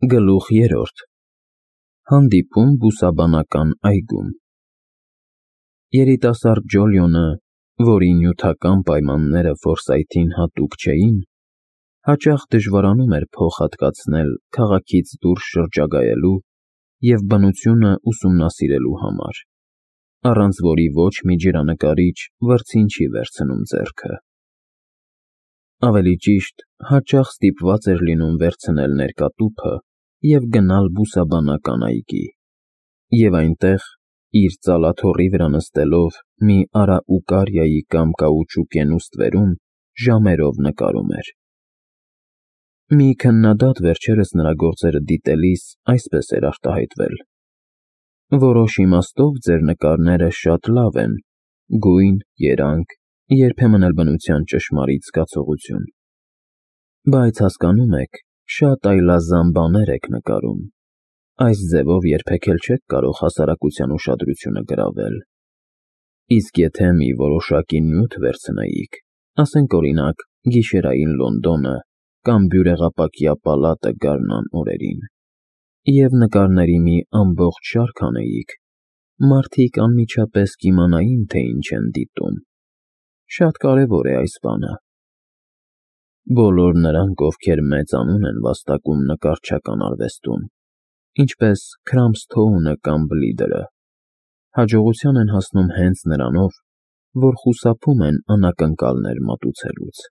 Գլուխ 3 Հանդիպում բուսաբանական այգում Երիտասարդ Ջոլիոնը, որի նյութական պայմանները Ֆորսայթին հատուկ չէին, հաճախ դժվարանում էր փող հատկացնել քաղաքից դուրս շրջագայելու և բնությունը ուսումնասիրելու համար, առանց որի ոչ մի ջրանկարիչ վրձին չի վերցնում ձեռքը։ Ավելի ճիշտ, հաճախ ստիպված էր լինում վերցնել ներկատուփը և գնալ բուսաբանական այգի, և այնտեղ, իր ծալաթոռի վրա նստելով մի արաուկարիայի կամ կաուչուկենու ստվերում, ժամերով նկարում էր։ Մի քննադատ վերջերս նրա գործերը դիտելիս այսպես էր արտահայտվել. «Որոշ իմաստով ձեր նկարները շատ լավ են, գույն, երանգ, երբեմն էլ բնության ճշմարիտ զգացողություն։ Բայց հասկանում եք, շատ այլազան բաներ եք նկարում, այս ձևով երբեք էլ չեք կարող հասարակության ուշադրությունը գրավել։ Իսկ եթե մի որոշակի նյութ վերցնեիք, ասենք օրինակ գիշերային Լոնդոնը կամ բյուրեղապակյա պալատը գարնան օրերին, և նկարների մի ամբողջ շարք անեիք, մարդիկ անմիջապես կիմանային, թե ինչ են դիտում։ Շատ կարևոր է այս բանը։ Բոլոր նրանք, ովքեր մեծ անուն են վաստակում նկարչական արվեստում, ինչպես Քրամբսթոունը կամ Բլիդերը, հաջողության են հասնում հենց նրանով, որ խուսափում են անակնկալներ մատուցելուց,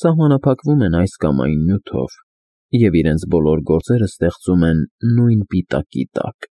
սահմանափակվում են այս կամ այն նյութով և իրենց բոլոր գործերը ստեղծում են նույն պիտակի տակ,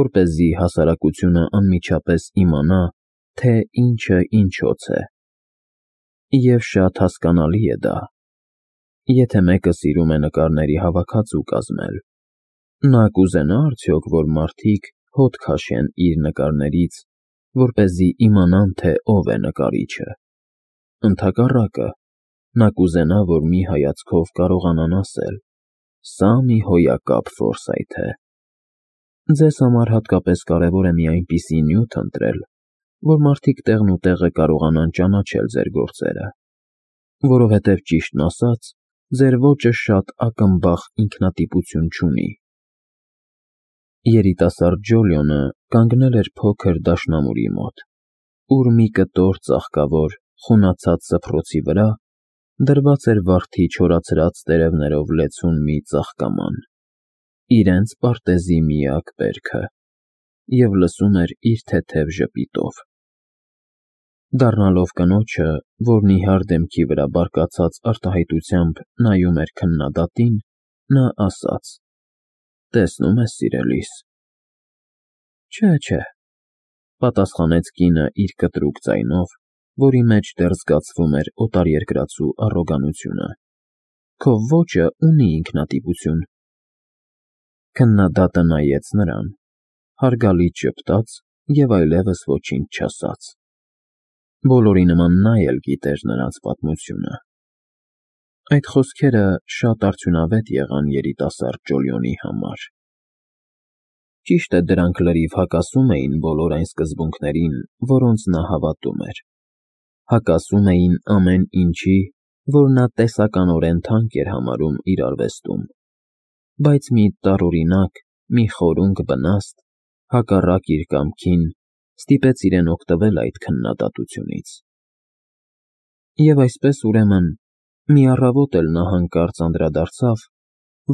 որպեսզի հասարակությունը անմիջապես իմանա, թե ինչը ինչոց է։ Եվ շատ հասկանալի է դա։ Եթե մեկը սիրում է նկարների հավաքածու կազմել, նա կուզենա՞ արդյոք, որ մարդիկ հոտ քաշեն իր նկարներից, որպեսզի իմանան, թե ով է նկարիչը։ Ընդհակառակը, նա կուզենա, որ մի հայացքով կարողանան ասել. «Սա մի հոյակապ Ֆորսայթ է»։ Ձեզ համար հատկապես կարևոր է մի այնպիսի նյութ ընտրել, որ մարդիկ տեղնուտեղը կարողանան ճանաչել ձեր գործերը, որովհետև, ճիշտն ասած, ձեր ոճը շատ ակնբախ ինքնատիպություն չունի։ Երիտասարդ Ջոլիոնը կանգնել էր փոքր դաշնամուրի մոտ, ուր մի կտոր ծաղկավոր, խունացած սփռոցի վրա դրված էր վարդի չորացրած տերևներով լեցուն մի ծաղկաման, իրենց պարտեզի միակ բերքը, և լսում էր իր թեթև ժպիտով։ Դառնալով կնոջը, որն իհար դեմքի վրա բարկացած արտահայտությամբ նայում էր քննադատին, նա ասաց. «Տեսնում ես, սիրելիս»։ Չէ, պատասխանեց կինը իր կտրուկ ձայնով, որի մեջ դեռ զգացվում էր օտարերկրացու առոգանությունը։ Քո ոճը ունի ինքնատիպություն։ Քննադատը նայեց նրան, հարգալից ժպտաց և այլևս ոչինչ չասաց։ Բոլորի նման նա էլ գիտեր նրանց պատմությունը։ Այդ խոսքերը շատ արդյունավետ եղան երիտասարդ Ջոլիոնի համար։ Ճիշտ է, դրանք լրիվ հակասում էին բոլոր այն սկզբունքներին, որոնց նա հավատում էր։ Հակասում էին ամեն ինչի, որ նա տեսականորեն թանկ էր համարում իր արվեստում, բայց մի տարօրինակ, մի խորունկ վնաստ, հակառակ իր կամքին, ստիպեց իրեն օգտվել այդ քննադատությունից։ Եվ այսպես, ուրեմն, մի առավոտ էլ նա հանկարծ անդրադարձավ,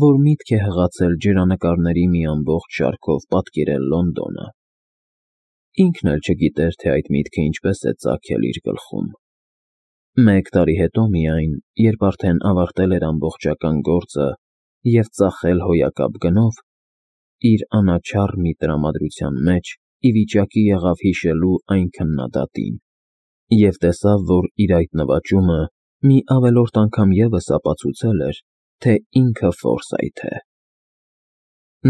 որ միտք է հղացել ջրանկարների մի ամբողջ շարքով պատկերել Լոնդոնը։ Ինքն էլ չգիտեր, թե այդ միտքը ինչպես է ծագել իր գլխում։ Մեկ տարի հետո միայն, երբ արդեն ավարտել էր ամբողջական գործը և ծախել հոյակապ գնով, իր անաչառ մի տրամադրության մեջ ի վիճակի եղավ հիշելու այն քննադատին և տեսավ, որ իր այդ նվաճումը մի ավելորդ անգամ ևս ապացուցել էր, թե ինքը Ֆորսայթ է։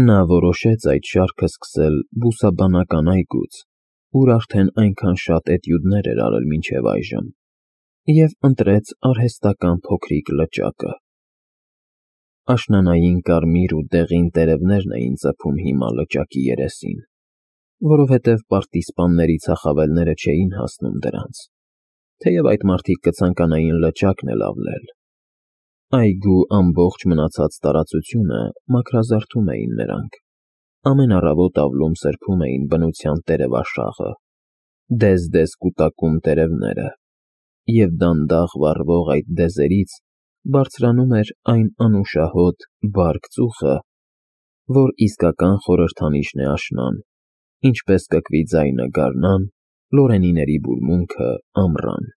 Նա որոշեց այդ շարքը սկսել բուսաբանական այգուց, ուր արդեն այնքան շատ էտյուդներ էր արել մինչև այժմ, և ընտրեց արհեստական փոքրիկ լճակը։ Աշնանային կարմիր ու դեղին տերևներն էին ծփում հիմա լճակի երեսին, որովհետև պարտիզպանների ծախավելները չէին հասնում դրանց, թեև այդ մարդիկ կցանկանային լճակն էլ ավլել։ Այգու ամբողջ մնացած տարածությունը մաքրազարդում էին նրանք, ամեն առավոտ ավլում սրբում էին բնության տերևաշաղը, դեզ-դեզ կուտակում տերևները, և դանդաղ վառվող այդ դեզերից բարձրանում էր այն անուշահոտ, բարք ծուխը, որ իսկական խորհրդանիշն է աշնան, ինչպես կկվի ձայնը գարնան, լորենիների բուրմունքը ամռան։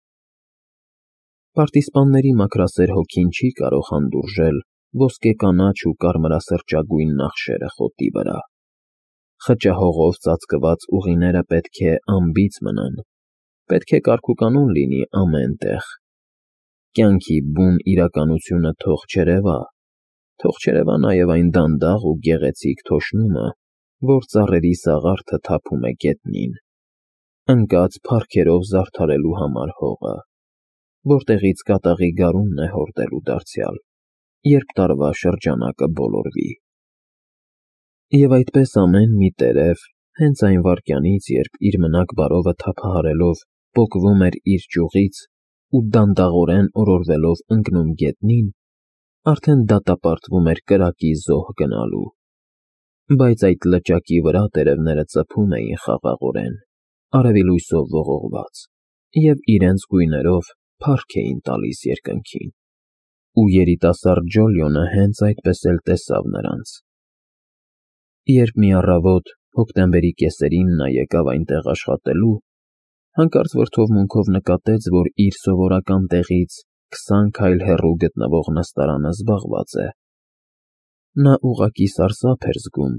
Պարտիզպանների մաքրասեր հոգին չի կարող հանդուրժել ոսկեկանաչ ու կարմրասրճագույն նախշերը խոտի վրա։ Խճահողով ծածկված ուղիները պետք է անբիծ մնան, պետք է կարգուկանոն լինի ամեն տեղ։ Կյանքի բուն իրականությունը թող չերևա նաև այն դանդաղ ու գեղեցիկ թոշնումը, որ ծառերի սաղարթը թափում է գետնին, ընկած փառքերով զարդարելու համար հողը, որտեղից կատաղի գարունն է հորդելու դարձյալ, երբ տարվա շրջանակը բոլորվի։ Եվ այդպես ամեն մի տերև, հենց այն վայրկյանից, երբ իր մնակ բարովը թափահարելով պոկվում էր իր ճյուղից ու դանդաղորեն օրորվելով ընկնում գետնին, արդեն դատապարտվում էր կրակի զոհ գնալու։ Բայց այդ լճակի վրա տերևները ծփում էին խաղաղորեն, արևի լույսով ողողված, և իրենց գույներով փառք էին տալիս երկնքին։ Ու երիտասարդ Ջոլիոնը հենց այդպես էլ տեսավ նրանց։ Երբ մի առավոտ հոկտեմբերի կեսերին նա եկավ այնտեղ աշխատելու, հանկարծ վրդովմունքով նկատեց, որ իր սովորական տեղից 20 քայլ հեռու գտնվող նստարանը զբաղված է։ Նա ուղղակի սարսափ էր զգում,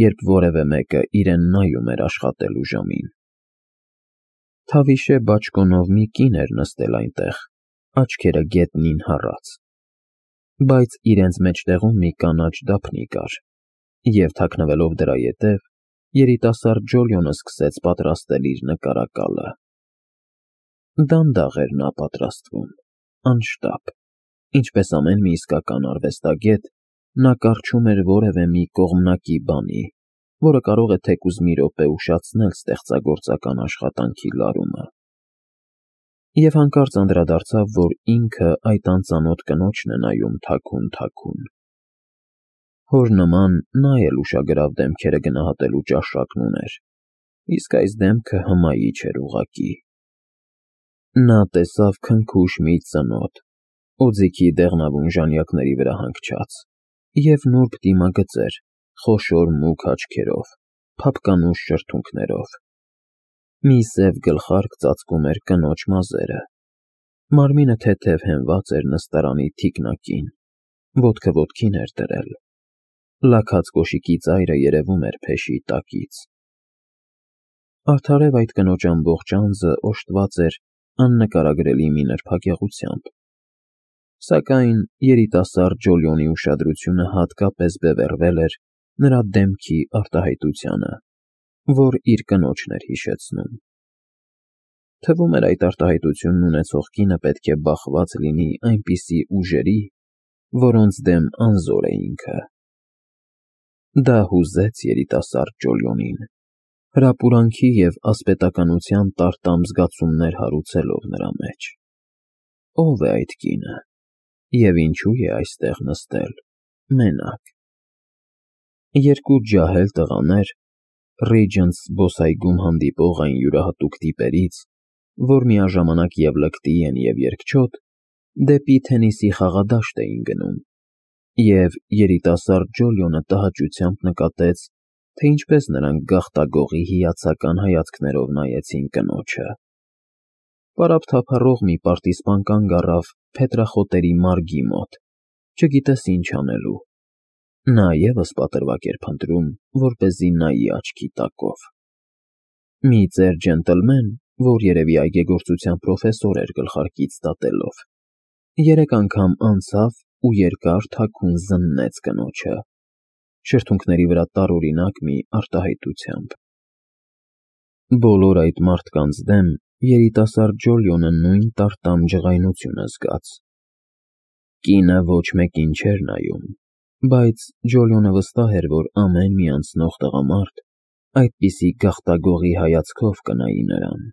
երբ որևէ մեկը իրեն նայում էր աշխատելու ժամին։ Թավիշե բաճկոնով մի կին էր նստել այնտեղ, աչքերը գետնին հառած, բայց իրենց մեջտեղում մի կանաչ դափնի կար, և թաքնվելով դրա ետև, երիտասարդ Ջոլիոնը սկսեց պատրաստել իր նկարակալը։ Դանդաղ էր նա պատրաստվում, անշտապ, ինչպես ամեն մի իսկական արվեստագետ, նա կառչում էր որևէ մի կողմնակի բանի, որը կարող է թեկուզ մի րոպե ուշացնել ստեղծագործական աշխատանքի լարումը։ Եվ հանկարծ անդրադարձավ, որ ինքը այդ անծանոթ կնոջն է նայում թաքուն։ Հոր նման նա էլ ուշագրավ դեմքերը գնահատելու ճաշակն ուներ, իսկ այս դեմքը հմայի չէր ուղղակի։ Նա տեսավ քնքուշ մի ծնոտ, օձիքի դեղնավուն ժանյակների վրա հանգչած, և նուրբ դիմագծեր, խոշոր մուգ աչքերով, փափկանուշ շրթունքներով։ Մի սև գլխարկ ծածկում էր կնոջ մազերը, մարմինը թեթև հենված էր նստարանի թիկնակին, ոտքը ոտքին էր դրել, լաքած կոշիկի ծայրը երևում էր փեշի տակից։ Արդարև այդ կնոջ ամբողջ անձը օժտված էր աննկարագրելի մի նրբագեղությամբ, սակայն երիտասարդ Ջոլիոնի ուշադրությունը հատկապես բևեռվել էր նրա դեմքի արտահայտությանը, որ իր կնոջն էր հիշեցնում։ Թվում էր այդ արտահայտությունն ունեցող կինը պետք է բախված լինի այնպիսի ուժերի, որոնց դեմ անզոր է ինքը։ Դա հուզեց երիտասարդ Ջոլիոնին, հրապուրանքի և ասպետականության տարտամ զգացումներ հարուցելով նրա մեջ։ Ո՞վ է այդ կինը, և ինչու է այստեղ նստել, մենակ։ Երկու ջահել տղաներ, Ռեջենտս զբոսայգում հանդիպող այն յուրահատուկ տիպերից, որ միաժամանակ և լկտի են և երկչոտ, դեպի թենիսի խաղադաշտ էին գնում, և երիտասարդ Ջոլիոնը տհաճությամբ նկատեց, թե ինչպես նրանք գաղտագողի հիացական հայացքներով նայեցին կնոջը։ Պարապ թափառող մի պարտիզպան կանգ առավ փետրախոտերի մարգի մոտ, չգիտես ինչ անելու։ Նա ևս պատրվակ էր փնտրում, որպեսզի նայի աչքի տակով։ Մի ծեր ջենտլմեն, որ երևի այգեգործության պրոֆեսոր էր գլխարկից դատելով, 3 անգամ անցավ ու երկար թաքուն զննեց կնոջը, շրթունքների վրա տարօրինակ մի արտահայտությամբ։ Բոլոր այդ մարդկանց դեմ երիտասարդ Ջոլիոնը նույն տարտամ ջղայնությունը զգաց։ Կինը ոչ մեկին չէր նայում, բայց Ջոլիոնը վստահ էր, որ ամեն մի անցնող տղամարդ այդպիսի գաղտագողի հայացքով կնայի նրան։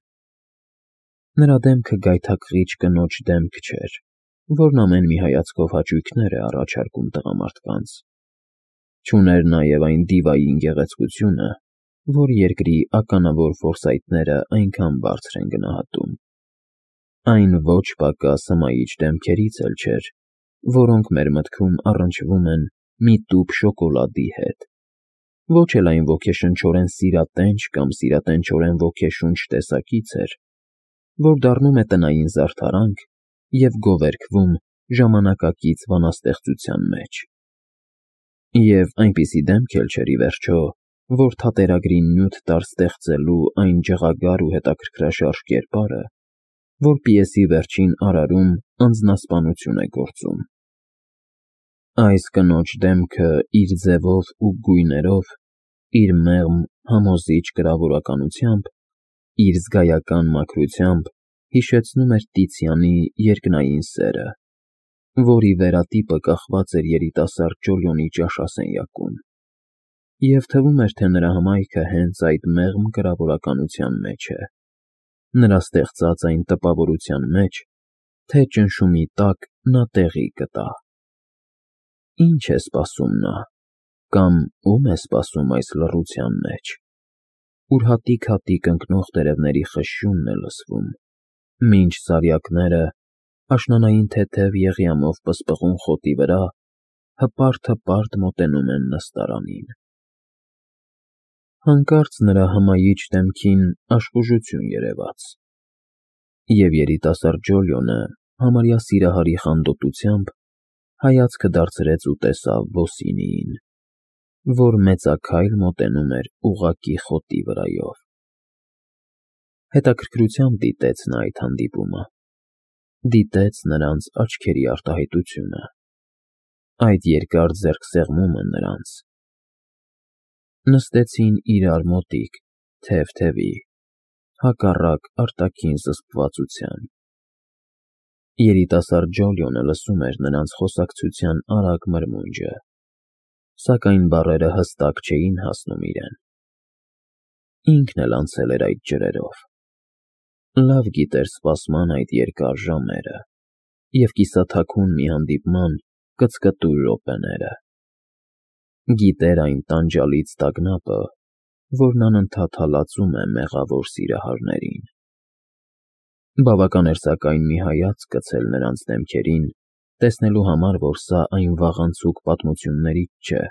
Նրա դեմքը գայթակղիչ կնոջ դեմք չէր, որն ամեն մի հայացքով հաճույքներ է առաջարկում տղամարդկանց։ Չուներ նաև այն դիվային գեղեցկությունը, որ երկրի ականավոր ֆորսայթները այնքան բարձր են գնահատում։ Այն ոչ պակաս հմայիչ դեմքերից էլ չէր, որոնք մեր մտքում առնչվում են մի տուփ շոկոլադի հետ, ոչ էլ այն ոգեշնչորեն սիրատենչ կամ սիրատենչորեն ոգեշունչ տեսակից էր, որ դառնում է տնային զարդարանք և գովերգվում ժամանակակից բանաստեղծության մեջ։ Եվ այնպիսի դեմք էլ չէր, ի վերջո, որ թատերագրին նյութ տար ստեղծելու այն ջղագար ու հետաքրքրաշարժ կերպարը, որ պիեսի վերջին արարում անձնասպանություն է գործում։ Այս կնոջ դեմքը իր ձևով ու գույներով, իր մեղմ, համոզիչ կրավորականությամբ, իր զգայական մաքրությամբ հիշեցնում էր Տիցիանի երկնային սերը, որի վերատիպը կախված էր երիտասարդ Ջոլիոնի ճաշասենյակում, և թվում էր, թե նրա հմայքը հենց այդ մեղմ կրավորականության մեջ է, նրա ստեղծած այն տպավորության մեջ, թե ճնշումի տակ նա տեղի կտա։ Ինչ է սպասում նա, կամ ում է սպասում այս լռության մեջ, ուր հատիկ-հատիկ ընկնող տերևների խշշյունն է լսվում, մինչ սարյակները, աշնանային թեթև եղյամով պսպղուն խոտի վրա, հպարտ-հպարտ մոտենում են նստարանին։ Հանկարծ նրա հմայիչ դեմքին աշխուժություն երևաց, և երիտասարդ Ջոլիոնը համարյա սիրահարի խանդոտությամբ հայացքը դարձրեց ու տեսավ Բոսինիին, որ մեծաքայլ մոտենում էր ուղղակի խոտի վրայով։ Հետաքրքրությամբ դիտեց նա այդ հանդիպումը, դիտեց նրանց աչքերի արտահայտությունը, այդ երկար ձեռքսեղմումը նրանց։ Նստեցին իրար մոտիկ, թև-թևի, հակառակ արտաքին զսպվածության։ Երիտասարդ Ջոլիոնը լսում էր նրանց խոսակցության արագ մրմունջը, սակայն բառերը հստակ չէին հասնում իրեն։ Ինքն էլ անցել էր այդ ջրերով, լավ գիտեր սպասման այդ երկար ժամերը և կիսաթաքուն մի հանդիպման կծկտուր րոպեները։ Գիտեր այն տանջալից տագնապը, որն անընդհատ հալածում է մեղավոր սիրահարներին։ Բավական էր սակայն մի հայացք գցել նրանց դեմքերին, տեսնելու համար, որ սա այն վաղանցուկ պատմություններից չէ,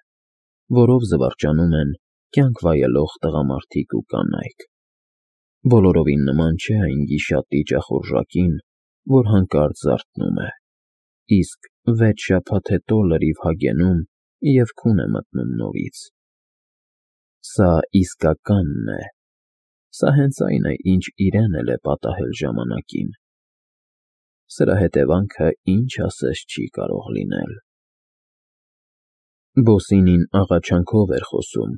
որով զվարճանում են կյանք վայելող տղամարդիկ ու կանայք։ Բոլորովին նման չէ այն գիշատիչ ախորժակին, որ հանկարծ զարթնում է, իսկ 6 շաբաթ հետո լրիվ հագենում և քուն է մտնում նորից։ Սա իսկականն է, սա հենց այն է, ինչ իրեն էլ է պատահել ժամանակին։ Սրա հետևանքը ինչ ասես չի կարող լինել։ Բոսինին աղաչանքով էր խոսում,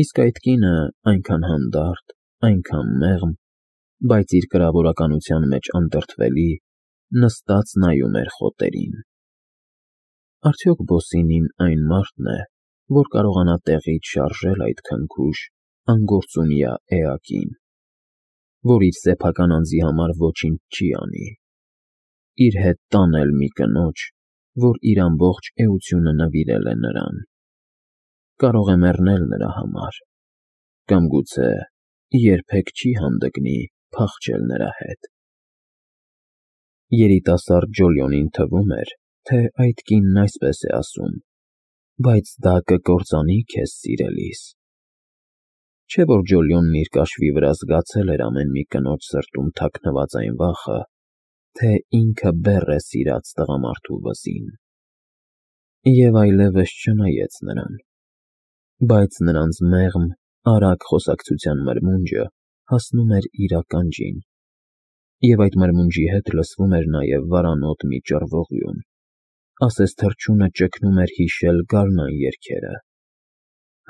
իսկ այդ կինը այնքան հանդարտ, այնքան մեղմ, բայց իր կրավորականության մեջ անդրդվելի, նստած նայում էր խոտերին։ Արդյոք Բոսինին այն մարդն է, որ կարողանա տեղից շարժել այդ քնքուշ, անգործունյա էակին, որ իր սեփական անձի համար ոչինչ չի անի, իր հետ տանել մի կնոջ, որ իր ամբողջ էությունը նվիրել է նրան, կարող է մեռնել նրա համար, կամ գուցե երբեք չի հանդգնի փախչել նրա հետ։ Երիտասարդ Ջոլիոնին թվում էր, թե այդ կինն այսպես է ասում. բայց դա կկործանի քեզ սիրելիս։ Չէ՞ որ Ջոլիոնն իր կաշվի վրա զգացել էր ամեն մի կնոջ սրտում թաքնված այն վախը, թե ինքը բեռ է սիրած տղամարդու վզին։ Եվ այլևս չնայեց նրան, բայց նրանց մեղմ, արագ խոսակցության մրմունջը հասնում էր իր ականջին, և այդ մրմունջի հետ լսվում էր նաև վարանոտ մի ճռվողյուն, ասես թռչունը ճգնում էր հիշել գարնան երգերը։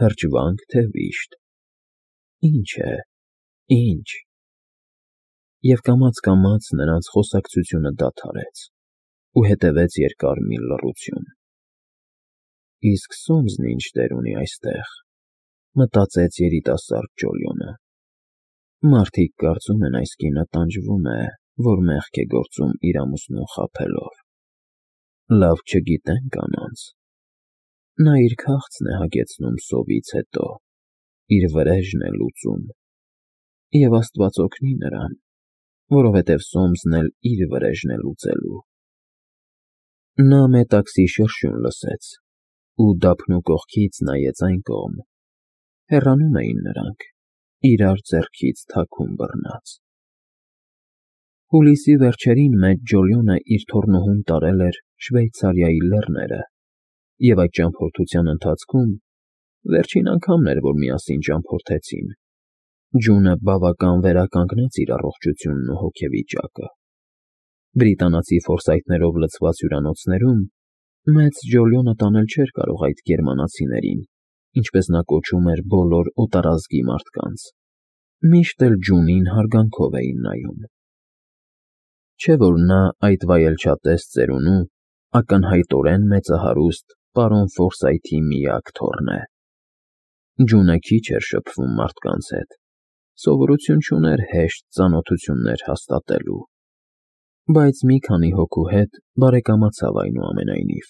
Հրճվա՞նք, թե վիշտ։ Ինչ է, ինչ։ Եվ կամաց-կամաց նրանց խոսակցությունը դադարեց, ու հետևեց երկար մի լռություն։ Իսկ Սոմսն ինչ դեր ունի այստեղ, մտածեց երիտասարդ Ջոլիոնը։ Մարդիկ կարծում են այս կինը տանջվում է, որ մեղք է գործում իր ամուսնուն խաբելով։ Լավ չգիտեն կանանց։ Նա իր քաղցն է հագեցնում սովից հետո, իր վրեժն է լուծում, և Աստված օգնի նրան, որովհետև Սոմսն էլ իր վրեժն է լուծելու։ Նա մետաքսի շրշյուն լսեց ու դափնու կողքից նայեց այն կողմ. հեռանում էին նրանք, իրար ձեռքից թաքուն բռնած։ Հուլիսի վերջերին մեծ Ջոլիոնը իր թոռնուհուն տարել էր Շվեյցարիայի լեռները, և այդ ճամփորդության ընթացքում վերջին անգամն էր, որ միասին ճամփորդեցին, Ջունը բավական վերականգնեց իր առողջությունն ու հոգեվիճակը։ Բրիտանացի ֆորսայթներով լցված հյուրանոցներում մեծ Ջոլիոնը տանել չէր կարող այդ գերմանացիներին, ինչպես նա կոչում էր բոլոր օտարազգի մարդկանց, միշտ էլ Ջունին հարգանքով էին նայում։ Չէ՞ որ նա այդ վայելչատես ծերունու ակնհայտորեն մեծահարուստ պարոն Ֆորսայթի միակ թոռն է։ Ջունը քիչ էր շփվում մարդկանց հետ, սովորություն չուներ հեշտ ծանոթություններ հաստատելու, բայց մի քանի հոգու հետ բարեկամացավ այնուամենայնիվ,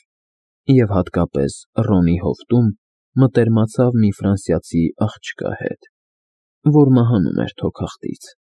և հատկապես Ռոնի հովտում մտերմացավ մի ֆրանսիացի աղջկա հետ, որ մահանում էր թոքախտից։